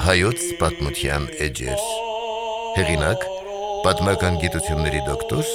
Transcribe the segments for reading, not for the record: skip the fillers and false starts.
Հայոց պատմության էջեր հեղինակ պատմական գիտությունների դոկտոր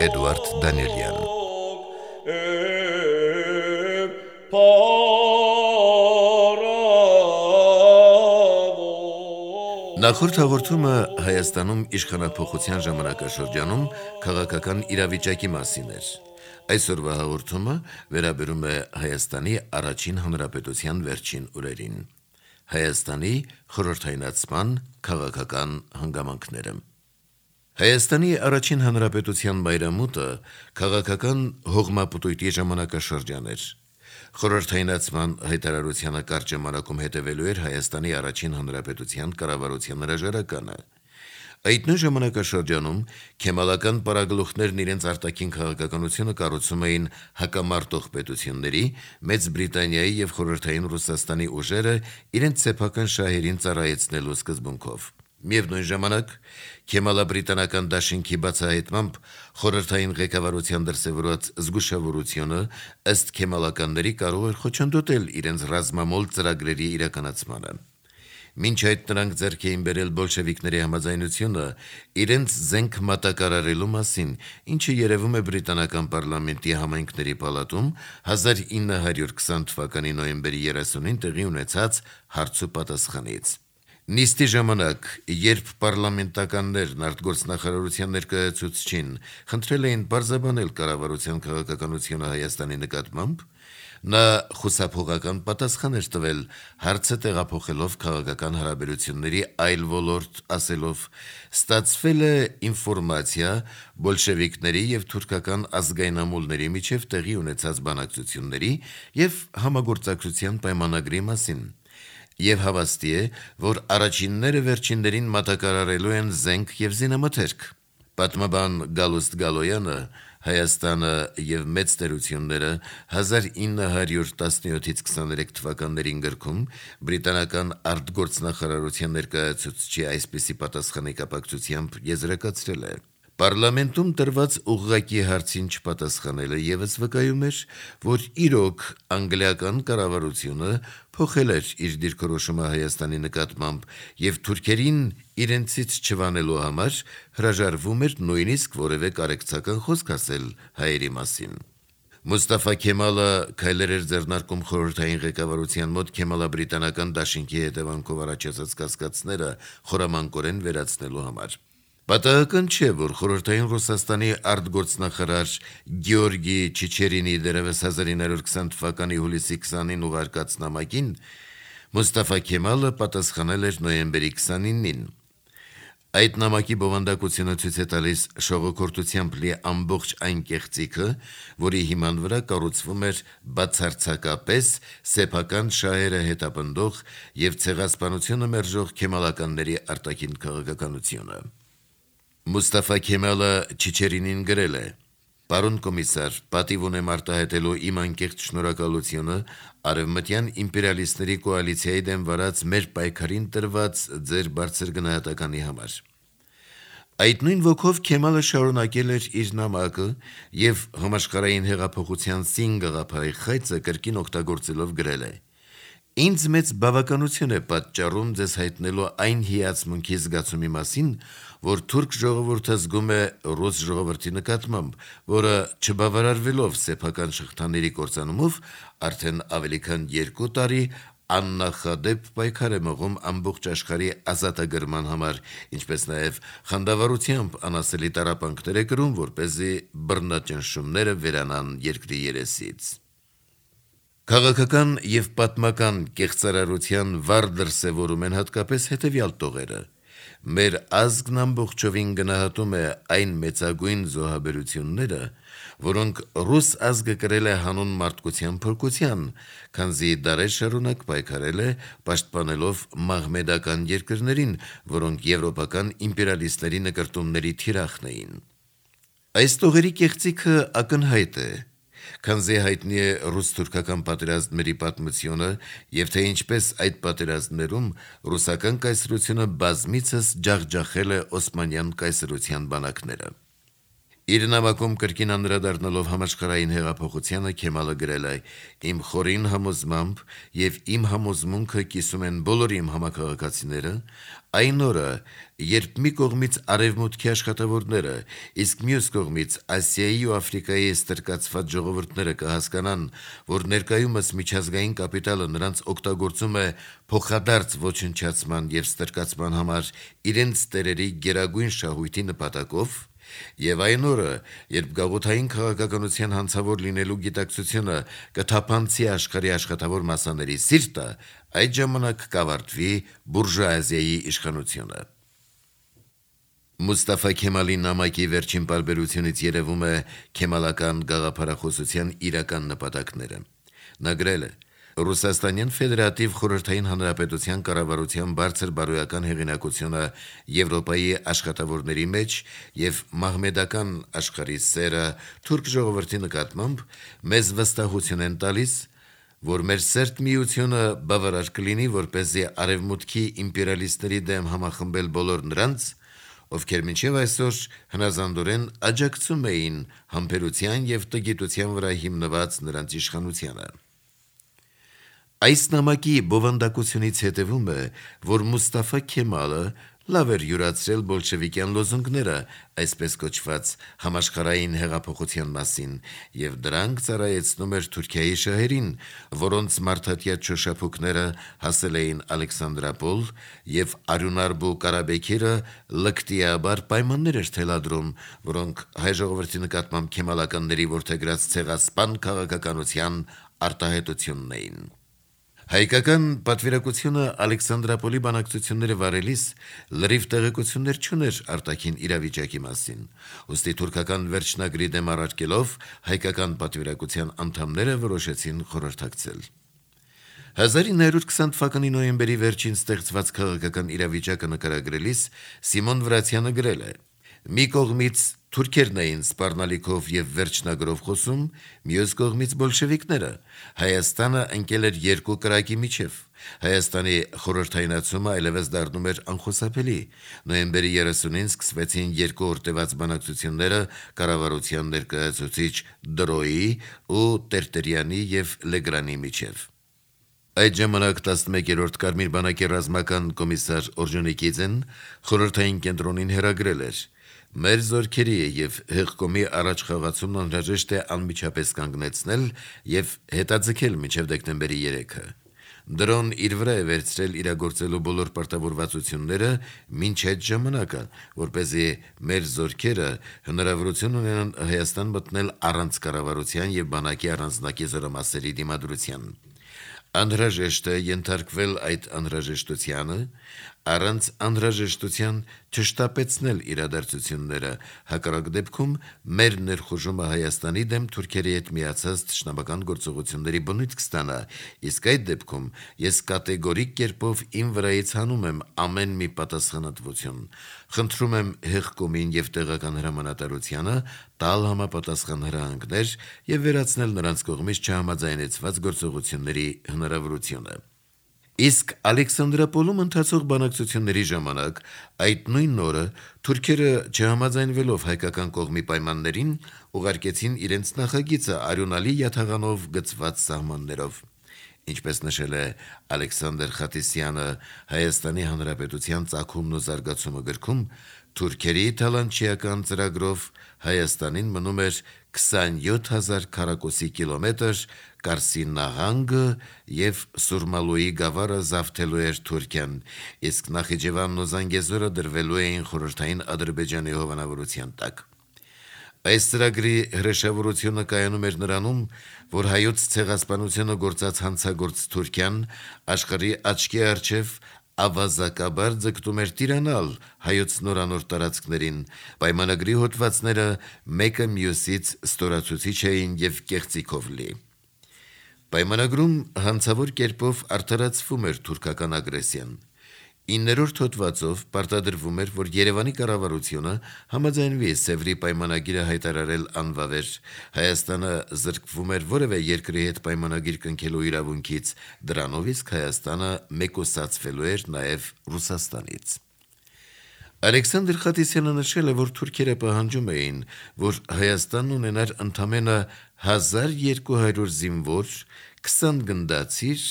Էդուարդ Դանիելյան Նախորդ հաղորդումը Հայաստանում իշխանափոխության ժամանակաշրջանում քաղաքական իրավիճակի մասին էր։ Այսօրվա հաղորդումը վերաբերում է Հայաստանի առաջին հանրապետության վերջին օրերին։ Հայաստանի խորհրդայնացման քաղաքական հանգամանքները։ Հայաստանի առաջին հանրապետության մայրամուտը քաղաքական հողմապտույտի ժամանակաշրջան էր։ Խորհրդայնացման հայտարարությանը կարճ ժամանակում հետևելու էր Հայաստանի առաջին հանրապետության կառավարության հրաժարականը։ Այդ նույն ժամանակաշրջանում քեմալական պարագլուխներն իրենց արտաքին քաղաքականությունը կառուցում էին հակամարտող պետությունների, Մեծ Բրիտանիայի և Խորհրդային Ռուսաստանի ուժերը իրենց սեփական շահերին ծառայեցնելու սկզբունքով։ Միևնույն ժամանակ, քեմալաբրիտանական դաշինքի բացահայտմամբ խորհրդային ղեկավարության դրսևորված զգուշավորությունը ըստ քեմալականների կարող էր խոչընդոտել իրենց ռազմամոլ ծրագրերի իրականացմանը։ Մինչ այդ նրանք ձեռք էին բերել բոլշևիկների համաձայնությունը իրենց զենք մատակարարելու մասին, ինչը երևում է բրիտանական պարլամենտի համայնքների պալատում 1920 թվականի նոյեմբերի 30-ին տեղի ունեցած հարց ու պատասխանից։ Նիստի ժամանակ, երբ պարլամենտականներն արտգործնախարարության ներկայացուցչին խնդրել էին պարզաբանել կառավարության քաղաքականությունը Հայաստանի նկատմամբ, նա խուսափողական պատասխան էր տվել, հարցը տեղափոխելով քաղաքական հարաբերությունների այլ ոլորտ, ասելով. «Ստացվել է ինֆորմացիա բոլշևիկների և թուրքական ազգայնամոլների միջև տեղի ունեցած բանակցությունների և համագործակցության պայմանագրի մասին, և հավաստի է, որ առաջինները վերջիններին մատակարարելու են զենք և զինամթերք»։ Պատմաբան Գալուստ Գալոյանը «Հայաստանը և մեծ տերությունները» 1917-23 թվականներին գրքում բրիտանական արտգործնախարարության ներկայացուցչի այսպիսի պատասխանի կապակցությամբ եզրակացրել է. «Պարլամենտում տրված ուղղակի հարցին չպատասխանելը ևս վկայում էր, որ իրոք անգլիական կառավարությունը փոխել էր իր դիրքորոշումը Հայաստանի նկատմամբ և թուրքերին իրենցից չվանելու համար հրաժարվում էր նույնիսկ որևէ կարեկցական խոսք ասել հայերի մասին»։ Մուստաֆա Քեմալը քայլեր էր ձեռնարկում խորհրդային ղեկավարության մոտ քեմալաբրիտանական դաշինքի հետևանքով առաջացած կասկածները խորամանկորեն վերացնելու համար։ Պատահական չէ, որ խորհրդային Ռուսաստանի արտգործնախարար Գեորգի Չիչերինի դեռևս 1920 թվականի հուլիսի 20-ին ուղարկած նամակին Մուստաֆա Քեմալը պատասխանել էր նոյեմբերի 29-ին։ Այդ նամակի բովանդակությունը ցույց է տալիս շողոքորթությամբ լի ամբողջ այն կեղծիքը, որի հիման վրա կառուցվում էր բացարձակապես սեփական շահերը հետապնդող և ցեղասպանությունը մերժող քեմալականների արտաքին քաղաքականությունը։ Մուստաֆա Քեմալը Չիչերինին գրել է. «Պարոն կոմիսար, պատիվ ունեմ արտահայտելու իմ անկեղծ շնորհակալությունը արևմտյան իմպերիալիստների կոալիցիայի դեմ վարած մեր պայքարին տրված ձեր բարձր գնահատականի համար»։ Այդ նույն ոգով Քեմալը շարունակել էր իր նամակը և համաշխարհային հեղափոխության սին գաղափարի խայծը կրկին օգտագործելով գրել է. «Ինձ մեծ բավականություն է պատճառում ձեզ հայտնելու այն հիացմունքի զգացումի մասին, որ թուրք ժողովուրդը զգում է ռուս ժողովրդի նկատմամբ, որը չբավարարվելով սեփական շղթաների կործանումով արդեն ավելի քան 2 տարի աննախադեպ պայքար է մղում ամբողջ աշխարհի ազատագրման համար, ինչպես նաև խանդավառությամբ անասելի տառապանքներ է կրում, որպեսզի բռնաճնշումները վերանան երկրի երեսից»։ Քաղաքական և պատմական կեղծարարության վառ դրսևորում են հատկապես հետևյալ տողերը. «Մեր ազգն ամբողջովին գնահատում է այն մեծագույն զոհաբերությունները, որոնք ռուս ազգը կրել է հանուն մարդկության փրկության, քանզի դարեր շարունակ պայքարել է, պաշտպանելով մահմեդական երկրներին, որոնք եվրոպական իմպերիալիստների նկրտումների թիրախն էին»։ Այս տողերի կեղծիքը ակնհայտ է։ Քանզի հայտնի է ռուս-թուրքական պատերազմների պատմությունը եւ թե ինչպես այդ պատերազմներում ռուսական կայսրությունը բազմիցս ջախջախել է Օսմանյան կայսրության բանակները։ Իր նամակում կրկին անդրադառնալով համաշխարհային հեղափոխությանը Քեմալը գրել է. «Իմ խորին համոզմամբ եւ իմ համոզմունքը կիսում են բոլոր իմ համակարգացիները, այն օրը, երբ մի կողմից արևմուտքի աշխատավորները, իսկ մյուս կողմից Ասիայի ու Աֆրիկայի ստրկացված ժողովուրդները կհասկանան, որ ներկայումս միջազգային կապիտալը նրանց օգտագործում է փոխադարձ ոչնչացման եւ ստրկացման համար իրենց տերերի գերագույն շահույթի նպատակով, եւ այն օրը, երբ գաղութային քաղաքականության հանցավոր լինելու գիտակցությունը կթափանցի աշխարհի աշխատավոր մասաների սիրտը, այդ ժամանակ կավարտվի բուրժուազիայի իշխանությունը»։ Մուստաֆա Քեմալի նամակի վերջին պարբերությունից երևում է քեմալական գաղափարախոսության իրական նպատակները։ Նա գրել է. «Ռուսաստանյան Ֆեդերատիվ Խորհրդային Հանրապետության կառավարության բարձր բարոյական հեղինակությունը Եվրոպայի աշխատավորների մեջ եւ մահմեդական աշխարհի սերը թուրք ժողովրդի նկատմամբ մեզ վստահություն են տալիս, որ մեր սերտ միությունը բավարար կլինի, որպեսզի արևմուտքի իմպերիալիստների դեմ համախմբել բոլոր նրանց, ովքեր մինչև այսօր հնազանդորեն աջակցում էին համբերության եւ տգիտության վրա հիմնված նրանց իշխանությանը»։ Այս նամակի բովանդակությունից հետևում է, որ Մուստաֆա Քեմալը լավ էր յուրացրել բոլշևիկյան լոզունգները, այսպես կոչված համաշխարհային հեղափոխության մասին, եւ դրանք ծառայեցնում էր Թուրքիայի շահերին, որոնց մարդատյա չոշափուկները հասել էին Ալեքսանդրապոլ եւ Արյունարբու Կարաբեքիրը լկտիաբար պայմաններ էր թելադրում, որոնք հայ ժողովրդի նկատմամբ քեմալականների որդեգրած ցեղասպան քաղաքականության արտահայտությունն էին։ Հայկական պատվիրակությունը Ալեքսանդրապոլի բանակցությունները վարելիս լրիվ տեղեկություններ չուներ արտաքին իրավիճակի մասին, ուստի թուրքական վերջնագրի դեմ առարկելով հայկական պատվիրակության անդամները որոշեցին խորհրդակցել։ 1920 թվականի նոյեմբերի վերջին ստեղծված քաղաքական իրավիճակը նկարագրելիս Սիմոն Վրացյանը գրել է. «Մի կողմից թուրքերն էին սպառնալիքով եւ վերջնագրով խոսում, մյուս կողմից բոլշևիկները։ Հայաստանը ընկել էր երկու կրակի միջև։ Հայաստանի խորհրդայնացումը այլևս դառնում էր անխուսափելի։ Նոյեմբերի 30-ին սկսվեցին երկու օրտեված բանակցությունները կառավարության ներկայացուցիչ Դրոյի ու Տերտերյանի եւ Լեգրանի միջև։ Այդ ժամանակ 11-րդ Կարմիր բանակի ռազմական կոմիսար Օրժոնիկիձեն խորհրդային կենտրոնին հրագրել էր. «Մեր զորքերի եւ հեղկոմի առաջ խաղացումն անհրաժեշտ է անմիջապես կանգնեցնել եւ հետաձգել մինչեւ դեկտեմբերի 3-ը։ Դրոն իր վրա է վերցրել իրագործելու բոլոր պարտավորվածությունները մինչ այդ ժամանակը, որպեսզի մեր զորքերը հնարավորություն ունենան Հայաստան մտնել առանց կառավարության եւ բանակի առանձնակի զորամասերի դիմադրության։ Անհրաժեշտ է ենթարկվել այդ անհրաժեշտությանը, առանց անհրաժեշտության չշտապեցնել իրադարձությունները, հակառակ դեպքում մեր ներխուժումը Հայաստանի դեմ թուրքերի հետ միացած թշնամական գործողությունների բնույթ կստանա, իսկ այդ դեպքում ես կատեգորիկ կերպով իմ վրայից հանում եմ ամեն մի պատասխանատվություն։ Խնդրում եմ հեղկոմին եւ տեղական հրամանատարությանը տալ համապատասխան հրահանգներ եւ վերացնել նրանց կողմից չհամաձայնեցված գործողությունների հնարավորությունը»։ Իսկ Ալեքսանդրապոլում ընթացող բանակցությունների ժամանակ այդ նույն օրը թուրքերը չհամաձայնվելով հայկական կողմի պայմաններին ուղարկեցին իրենց նախագիծը արյունալի յաթաղանով գծված սահմաններով։ Ինչպես նշել է Ալեքսանդր Խատիսյանը Հայաստանի Հանրապետության ծագումն ու զարգացումը գրքում, թուրքերի թալանչիական ծրագրով Հայաստանին մնում էր 27,000 քառակուսի կիլոմետր Կարսի նահանգը եւ Սուրմալուի գավառը զավթելու էր Թուրքիան, իսկ Նախիջևանն ու Զանգեզուրը դրվելու էին խորհրդային Ադրբեջանի հովանավորության տակ։ Այս ծրագրի հրեշավորությունը կայանում էր նրանում, որ հայոց ցեղասպանությունը գործած հանցագործ Թուրքիան աշխարհի աչքի առջև ավազակաբար ձգտում էր տիրանալ հայոց նորանոր տարածքներին, պայմանագրի հոդվածները մեկը մյուսից ստորացուցիչ էին եւ կեղծիքով լի։ Պայմանագրում հանցավոր կերպով արդարացվում էր թուրքական ագրեսիան։ 9-րդ հոդվածով պարտադրվում էր, որ Երևանի կառավարությունը համաձայնվի Սևրի պայմանագիրը հայտարարել անվավեր, Հայաստանը զրկվում էր որևէ երկրի հետ պայմանագիր կնքելու իրավունքից, դրանով իսկ Հայաստանը մեկուսացվելու էր նաև Ռուսաստանից։ Ալեքսանդր Խատիսյանը նշել է, որ թուրքերը պահանջում էին, որ Հայաստանն ունենար ընդամենը 1200 զինվոր, 20 գնդացիր,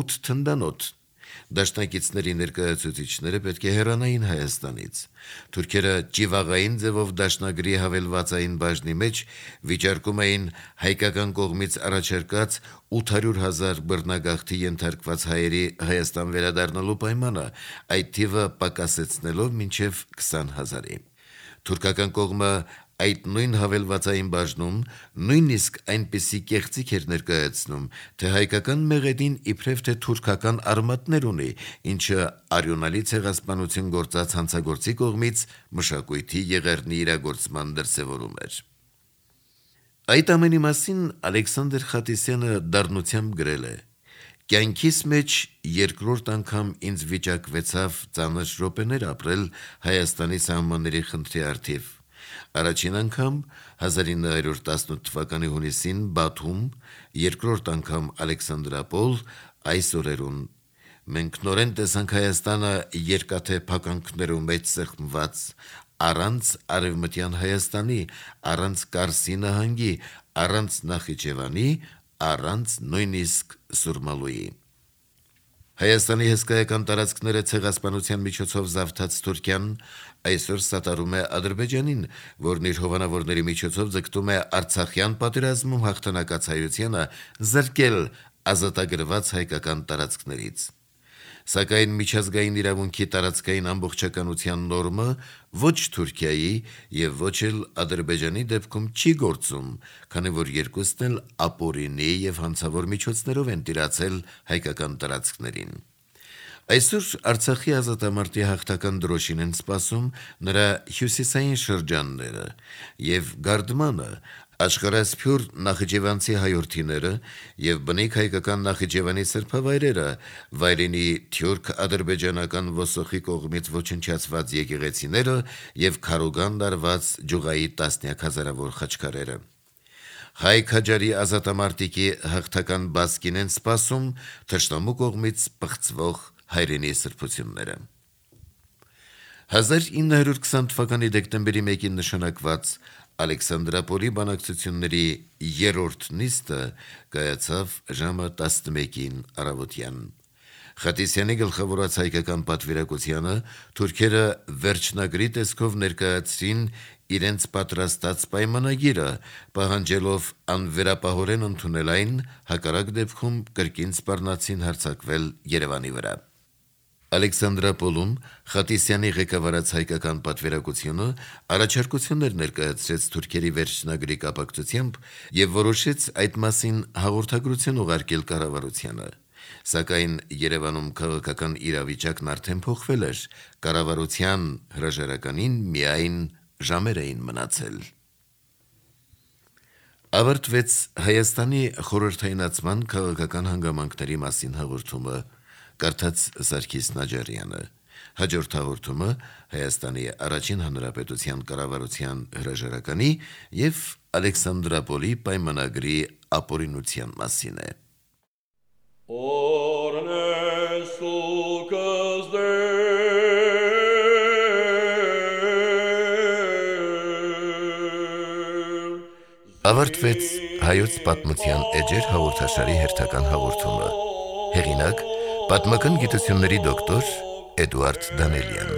8 թնդանոթ։ Դաշնակիցների ներկայացուցիչները պետք է հեռանային Հայաստանից։ Թուրքերը ճիվաղային ձևով դաշնագրի հավելվածային բաժնի մեջ վիճարկում էին հայկական կողմից առաջարկած 800,000 բռնագաղթի ենթարկված հայերի Հայաստան վերադառնալու պայմանը, այդ թիվը պակասեցնելով մինչև 20,000-ի։ Թուրքական կողմը այդ նույն հավելվածային բաժնում նույնիսկ այնպիսի կեղծիք էր ներկայացնում, թե հայկական մեղեդին իբրև թե թուրքական արմատներ ունի, ինչը արյունալի ցեղասպանություն գործած հանցագործի կողմից մշակույթի եղեռնի իրագործման դրսևորում էր։ Այդ ամենի մասին Ալեքսանդր Խատիսյանը դառնությամբ գրել է. «Կյանքիս մեջ երկրորդ անգամ ինձ վիճակվեցավ ծանր րոպեներ ապրել Հայաստանի սահմանների խնդրի առթիվ։ Առաջին անգամ 1918 թվականի հունիսին Բաթում, երկրորդ անգամ Ալեքսանդրապոլ, այս օրերուն։ Մենք նորեն տեսանք Հայաստանը երկաթե փականքներում մեջ սեղմված, առանց Արևմտյան Հայաստանի, առանց Կարսի նահանգի, առանց Նախիջևանի, առանց նույնիսկ Սուրմալուի։ Հայաստանի հսկայական տարածքները ցեղասպանության միջոցով զավթած Թուրքիան այսօր սատարում է Ադրբեջանին, որն իր հովանավորների միջոցով ձգտում է Արցախյան պատերազմում հաղթանակած հայությանը զրկել ազատագրված հայկական տարածքներից։ Սակայն միջազգային իրավունքի տարածքային ամբողջականության նորմը ոչ Թուրքիայի եւ ոչ էլ Ադրբեջանի դեպքում չի գործում, քանի որ երկուսն էլ ապօրինի եւ հանցավոր միջոցներով են տիրացել հայկական տարածքներին։ Այսօր Արցախի ազատամարտի հաղթական դրոշին են սպասում նրա հյուսիսային շրջանները եւ Գարդմանը, աշխարհասփյուր նախիջևանցի հայրենիները եւ բնիկ հայկական Նախիջևանի սրբավայրերը, վայրենի թյուրք-ադրբեջանական ոսոխի կողմից ոչնչացված եկեղեցիները եւ քարուգան դարված ջուղայի տասնյակ հազարավոր խաչքարերը։ Հայ քաջարի ազատամարտիկի հաղթական բասկին են սպասում թշնամու կողմից պղծվող հայրենի սրբությունները։ 1920 թվականի դեկտեմբերի 1-ին նշանակված Ալեքսանդրապոլի բանակցությունների երրորդ նիստը կայացավ ժամը 11-ին առավոտյան։ Խատիսյանի գլխավորած հայկական պատվիրակությանը թուրքերը վերջնագրի տեսքով ներկայացրին իրենց պատրաստած պայմանագիրը, պահանջելով անվերապահորեն ընդունել այն, հակառակ դեպքում կրկին սպառնացին հարձակվել Երևանի վրա։ Ալեքսանդրապոլում Խատիսյանի ղեկավարած հայկական պատվիրակությունը առաջարկություններ ներկայացրեց թուրքերի վերջնագրի կապակցությամբ եւ որոշեց այդ մասին հաղորդագրություն ուղարկել կառավարությանը։ Սակայն Երևանում քաղաքական իրավիճակն արդեն փոխվել էր, կառավարության հրաժարականին միայն ժամեր էին մնացել։ Ավարտվեց Հայաստանի խորհրդայնացման քաղաքական հանգամանքների մասին հաղորդումը, կարդաց Սարգիս Նաջարյանը։ Հաջորդ հաղորդումը Հայաստանի առաջին հանրապետության կառավարության հրաժարականի եւ Ալեքսանդրապոլի պայմանագրի ապօրինության մասին է։ Ավարտվեց հայոց պատմության էջեր հաղորդաշարի հերթական հաղորդումը։ Հեղինակ պատմական գիտությունների դոկտոր Էդուարդ Դանելյան։